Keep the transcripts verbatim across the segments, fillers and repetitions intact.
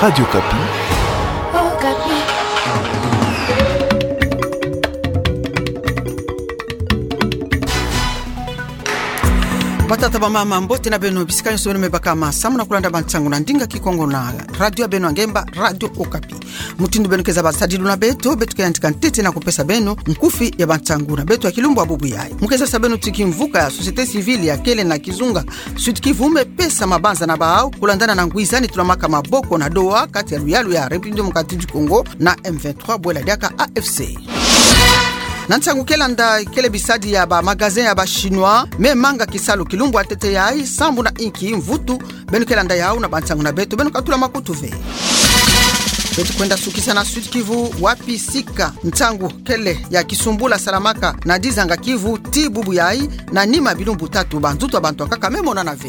Radio Okapi. Okapi. Batata, bamama, mbote na beno bisika nyonso beno me bakama samu na kulanda bansangu na ndinga Kikongo na radio ya beno ya ngemba, Radio Okapi. Mutindu beno ke zaba sadilu na beto, beto ke yandika ntete na kupesa beno nkufi ya bansangu na beto ya kilumbu ya bubu yayi. Mu ke zabisa beno ti kimvuka ya société civile ya kele na kizunga Sud-Kivu me pesa mabanza na bawu kulandana na ngwizani tulamaka maboko na Doha kati ya luyalu ya République Démocratique du Congo na M vingt-trois, bwela diaka A F C. Na nsangu ke landa, kele bisadi ya ba magasin ya ba Chinois me manga kisalu kilumbu ya ntete yayi, sambu na inki mvutu. Beno ke landa yawu na bansangu na beto, beno katula makutu ve. Beto kwenda sukisa na Sud-Kivu, wapi sika nsangu kele ya kisumbula salamaka na dizanga Kivu ti bubu yayi, na nima bilumbu tatu, banzutu ya bantu ya nkaka me monana ve.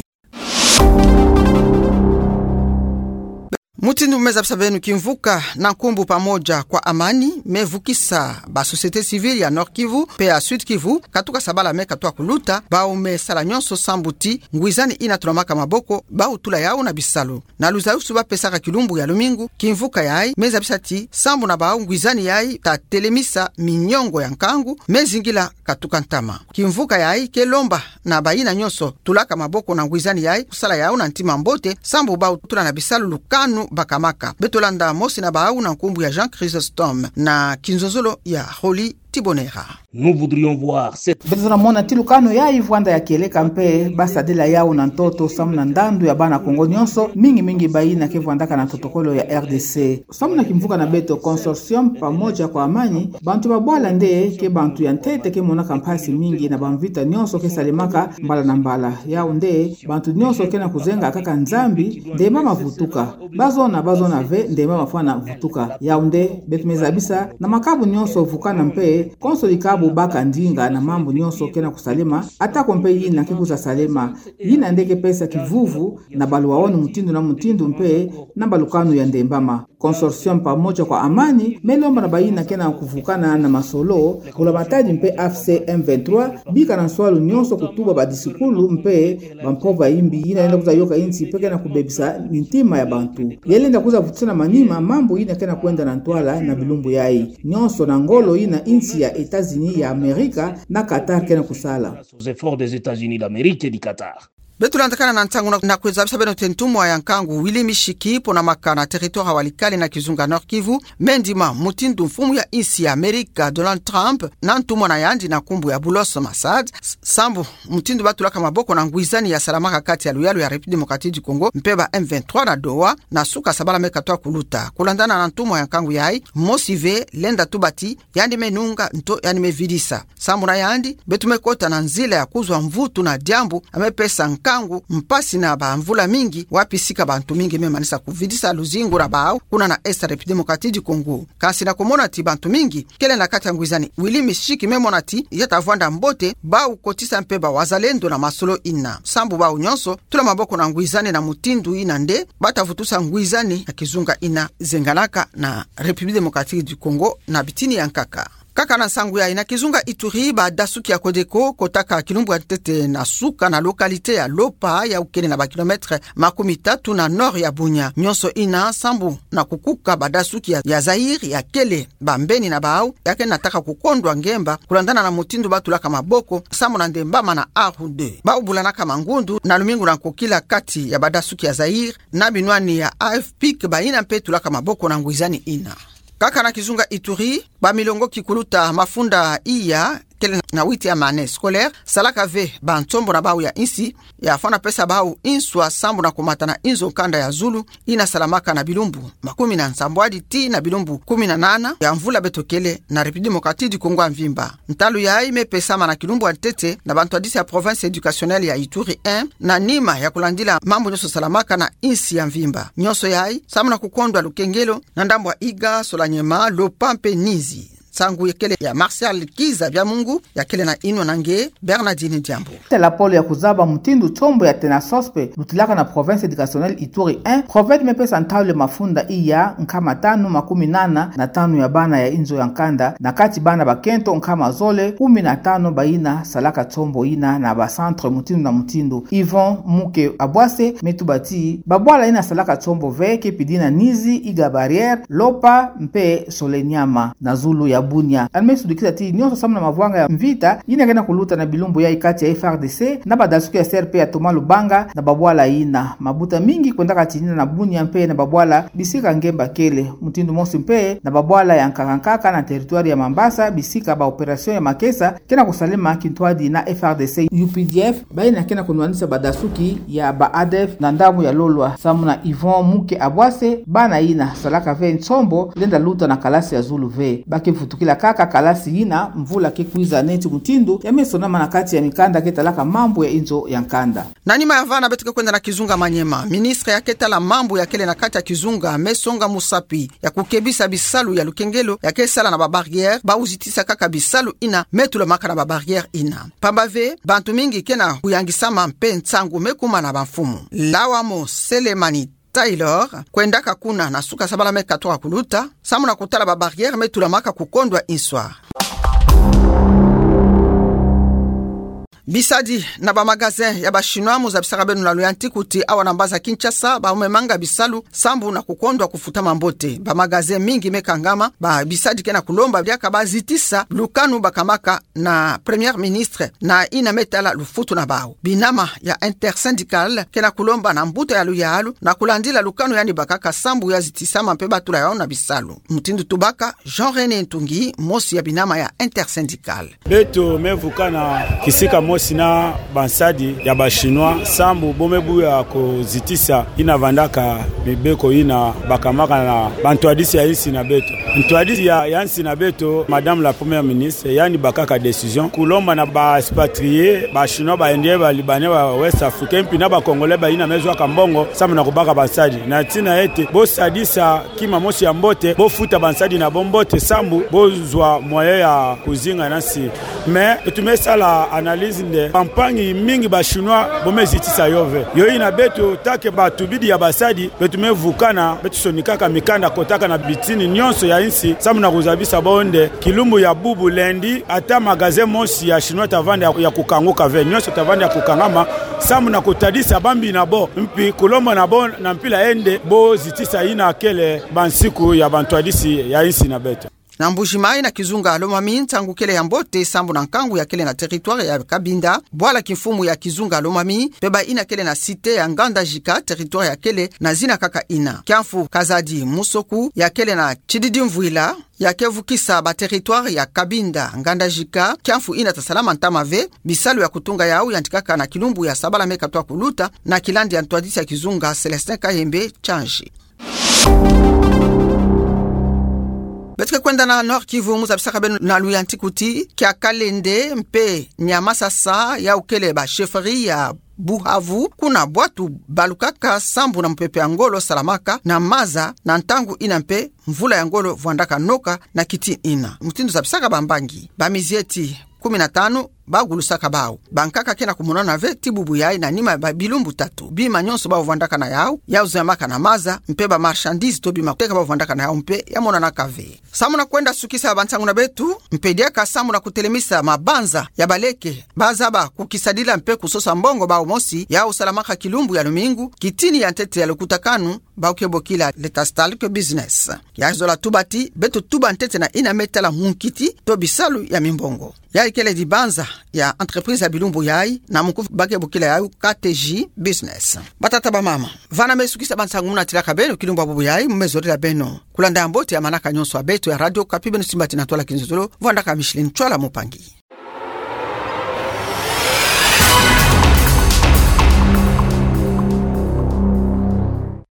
Mutindu me zabisa beno, kimvuka na nkumbu Pamoja kwa Amani me vukisa ba société civile ya Nord-Kivu mpe ya Sud-Kivu, katuka sabala me katuka kuluta, bawu me sala nyonso sambu ti ngwizani yina tulamaka maboko, bawu tula yawu na bisalu. Na luzayusu ba pesaka kilumbu ya lumingu, kimvuka yayi me zabisa ti sambu na bawu ngwizani yayi ta telemisa miniongo ya nkangu me zingila katuka ntama. Kimvuka yayi ke lomba na bayina nyonso tulaka maboko na ngwizani yayi kusala yawu na ntima mbote, sambu bawu tula na bisalu lukanu bakamaka. Beto landa mosi na bawu na nkumbu ya Jean Chrysostome na kinzonzolo ya Rolly Tibonera. Nous voudrions voir cette... Beto zola mona ti lukanu yayi vwanda ya kieleka mpe ba sadila yawu na ntoto samu na ndandu ya bana Kongo nyonso, mingi mingi bayina ke vwandaka na ntotokolo ya R D C. Samu na kimvuka na beto Consortium Pamoja kwa Amani, bantu ba bwala nde ke bantu ya ntete ke monaka mpasi mingi na bamvita nyonso ke salemaka mbala na mbala. Yawu nde bantu nyonso ke na kuzenga kaka Nzambi, ndemba ma vutuka. Bazona, bazona ve, ndemba ma fwana vutuka. Yawu nde beto me zabisa na makabu nyonso vukana mpe konso dikabu baka ndinga na mambu nyonso ke na kusalema, atako mpe yina ke kwiza salema. Yina nde ke pesa kivuvu na baluaoni mutindu na mutindu mpe na balukanu ya ndembama. Consortium Pamoja kwa Amani me lomba na bayina ke na kuvukana na masolo, mbula matadi mpe A F C M vingt-trois, bika na nswalu nyonso kutuba badisikulu mpe bampova imbi yina lenda kwiza yoka insi mpe ke na kubebisa mintima ya bantu. Ya lenda kwiza vutusa na manima mambu yina ke na kwenda na ntwala na bilumbu yayi, nyonso na ngolo yina insi ya États-Unis ya Amerika na Qatar ke na kusala. Aux efforts des États-Unis d'Amérique et du Qatar. Beto landakana na nsangu na, na kwiza zabisa beno ti ntumwa ya nkangu Willy Mishiki, ponamaka na territoire ya Walikale na kizunga Nord-Kivu, me ndima mutindu mfumu ya insi ya Amerika Donald Trump na ntumwa na yandi na nkumbu ya Boulos Massad, s-, sambu mutindu ba tulaka maboko na ngwizani ya salamaka kati ya luyalu ya République Démocratique du Congo mpe ba M vingt-trois na Doha, na suka sabala me katuka kuluta. Kulandana na ntumwa ya nkangu yayi, mosi ve lenda tuba ti yandi me nunga nto yandi me vidisa. Sambu na yandi, beto me kota na nzila ya kuzwa mvutu na diambu ya me pesa nkangu mpasi na bamvula mingi, wapi sika bantu mingi me manisa kuvidisa luzingu na bawu kuna na Est ya République Démocratique du Congo. Kansi na kumona ti bantu mingi kele na kati ya ngwizani, Willy Mishiki me mona ti ya ta vwanda mbote bawu kotisa mpe bawazalendo na masolo yina, sambu bawu nyonso tula maboko na ngwizani na mutindu yina nde ba ta vutusa ngwizani na kizunga yina zenganaka na République Démocratique du Congo na bitini ya nkaka. Kaka na nsangu yayi, na kizunga Ituri, badasuki ya Codeco kotaka kilumbu ya ntete na suka na localité ya Lopa, yawu kele na ba kilomètres makumi tatu na nord ya Bunia. Nyonso yina sambu na kukuka badasuki ya, ya Zaïre ya kele bambeni na bawu, ya ke nataka kukondwa ngemba kulandana na mutindu ba tulaka maboko sambu na ndembama na Arru deux. Bawu bulanaka mangundu na lumingu na nkokila kati ya badasuki ya Zaïre na binwani ya A F P ke bayina mpe tulaka maboko na ngwizani yina. Kaka na kizunga Ituri, bamilongo kikuluta mafunda iya kele na huitième année scolaire salaka ve bansombo na bawu ya insi, ya fwana pesa bawu inswa sambu na kumata na inzo kanda ya zulu yina salamaka na bilumbu makumi na nsambwadi tii na bilumbu kumi na nana ya mvula beto kele na République Démocratique du Congo ya mvimba. Ntalu yayi me pesama na kilumbu ya ntete na bantwadisi ya province éducationnelle ya Ituri un, na nima ya kulandila mambu nyonso salamaka na insi ya mvimba. Nyonso yayi sambu na kukondwa lukengelo na ndambu ya Iga, Solanyema, Lopa mpe Nizi. Nsangu ya kele ya Martial Kiza Biamungu, ya kele na inwa na nge Bernardine Diambu. Tala pole ya kuzaba mutindu tiombo ya Tenasospe lutilaka na Province Educationnelle Ituri un, PROVED me pesa ntalu ya mafunda iya nkama tanu makumi nana na tanu ya bana ya inzo ya nkanda, na kati bana bakento nkama zole kumi na tano bayina salaka tiombo yina na ba centre mutindu na mutindu. Yvon Muke Abwase me tuba ti babwala yina salaka tiombo ve ke pidi na Nizi, Iga Barrière, Lopa mpe Soleniama na zulu ya Bunia. Yandi me sudikisa ti nionso samu na mavwanga ya mvita yina ke na kuluta na bilumbu yayi kati ya FARDC na badasuki ya CRP ya Thomas Lubanga na babwala yina. Mabuta mingi kwendaka tinina na Bunia mpe na babwala bisika nge bakele. Mutindu mosi mpe na babwala ya nkaka nkaka na territoire ya Mambasa, bisika ba opération ya makesa ke na kusalema kintwadi na FARDC, UPDF, bayina ke na kunwanisa badasuki ya ba ADF na ndambu ya Lolwa. Samu na Yvon Muke Abwase, bana yina salaka ve tiombo lenda luta na kalasi ya zulu ve. Ba ke vutukila kaka kalasi yina mvula ke kwiza neti mutindu ya me sonama na kati ya mikanda ke talaka mambu ya inzo ya nkanda. Na nima ya vana beto ke kwenda na kizunga Maniema. Ministre ya ke tala mambu ya kele na kati ya kizunga me songa musapi ya kukebisa bisalu ya lukengelo ya ke sala na ba barrière, bau zitisa kaka bisalu yina me tulamaka na ba barrière yina. Pamba ve, bantu mingi ke na kuyangisama mpe nsangu me kuma na bamfumu. Lawamo Selemani Taylor kwendaka kuna na suka sabala me katoka kuluta, samu na kutala ba barrière me tulamaka kukondwa inswa. Bisadi na ba magasin ya ba Chinois, mu zabisaka beno na luyantiku ti awa na mbanza Kinshasa, bau me manga bisalu sambu na kukondwa kufutama mbote. Ba magasin mingi me kangama, ba bisadi ke na kulomba diaka ba zitisa lukanu bakamaka na Premier Ministre na yina me tala lufutu na bau. Binama ya Intersyndicale ke na kulomba na mbuta ya luyalu na kulandila lukanu yandi bakaka sambu ya zitisama mpe ba tula yau na bisalu. Mutindu tubaka Jean René Ntungi, mosi ya binama ya Intersyndicale. Beto me vukana kisika mosi na bansadi ya ba Chinois sambu bo me buya kuzitisa yina vandaka mibeko yina bakamaka na bantwadisi ya insi na beto. Ntwadisi ya, ya insi na beto, Madame la Première Ministre, yandi bakaka décision kulomba na ba expatriés, ba Chinois, ba Indiens, ba Libanais, ba Ouest Africains, mpi na ba Congolais bayina me zwaka mbongo sambu na kubaka bansadi. Na tina ete bo sadisa kima mosi ya mbote, bo futa bansadi na bo mbote sambu bo zwa moyen ya kuzinga na nsi. Mais beto me sala analyse nde bampangi mingi ba Chinois bo me zitisa yo ve. Yo yina beto, tant que batubidi ya basadi, beto me vukana, beto sonikaka mikanda kotaka na bitini nionso ya insi sambu na kuzabisa bo nde kilumbu ya bubu, lundi, ata magasin mosi ya Chinois ta vanda ya, ya kukanguka ve, nionso ta vanda ya kukangama sambu na kutadisa bambi na bo, mpi kulomba na bo na mpila yai nde bo zitisa yina kele bansiku ya bantwadisi ya insi na beto. Na Mbuji-Mayi, na kizunga Lomami, nsangu kele ya mbote sambu na nkangu ya kele na territoire ya Cabinda, bwala kimfumu ya kizunga Lomami, mpe bayina kele na cité ya Ngandajika, territoire ya kele na zina kaka yina. Kiamfu Kazadi Musoku, ya kele na Tshididi Mvwila, ya ke vukisa ba territoire ya Cabinda, Ngandajika, kiamfu yina ta salama ntama ve. Bisalu ya kutunga yau yantikaka na kilumbu ya sabala me katoka kuluta, na kilandi ya ntwadisi ya kizunga Célestin Kayembe Tsanji. Beto ke kwenda na Nord-Kivu, mu zabisaka beno na luyantiku ti Kiakalende mpe Niamasasa, yau kele ba chefferie ya Buhavu, kuna bwatu balukaka sambu na mupepe ya ngolo salamaka na maza, na ntangu yina mpe mvula ya ngolo vwandaka noka na kiti yina. Mutindu zabisaka bambangi, bamizieti kumi na tanu bagulusaka bau. Bankaka ke na kumonana ve ti bubu yai na nima ya ba bilumbu tatu. Bima nionso bau vwandaka na yau, yau zeyamaka na maza, mpe ba marchandise to bima kuteka bau vwandaka na yau mpe ya monanaka ve. Samu na kwenda sukisa bansangu na beto, mpe diaka samu na kutelemisa mabanza ya baleke, bazaba kukisadila mpe kusosa mbongo bau mosi, yau salamaka kilumbu ya lumingu, kitini ya ntete ya lukutakanu, bau ke bokila le Tastalk Business. Ya zola tuba ti, beto tuba ntete na yina me tala munkiti to bisalu ya mimbongo. Yai kele dibanza ya entreprise ya bilumbu yai, na muku ba ke bokila yau K T J Business. Batata bamama, vana me sukisa bansangu mu natilaka beno kilumbu ya bubu yai, mu me zorila beno kulanda ya mbote ya manaka nionso ya beto ya Radio Okapi, beno simbati na ntwala kinzonzolo, vwandaka Micheline Ntsoila Mpangi.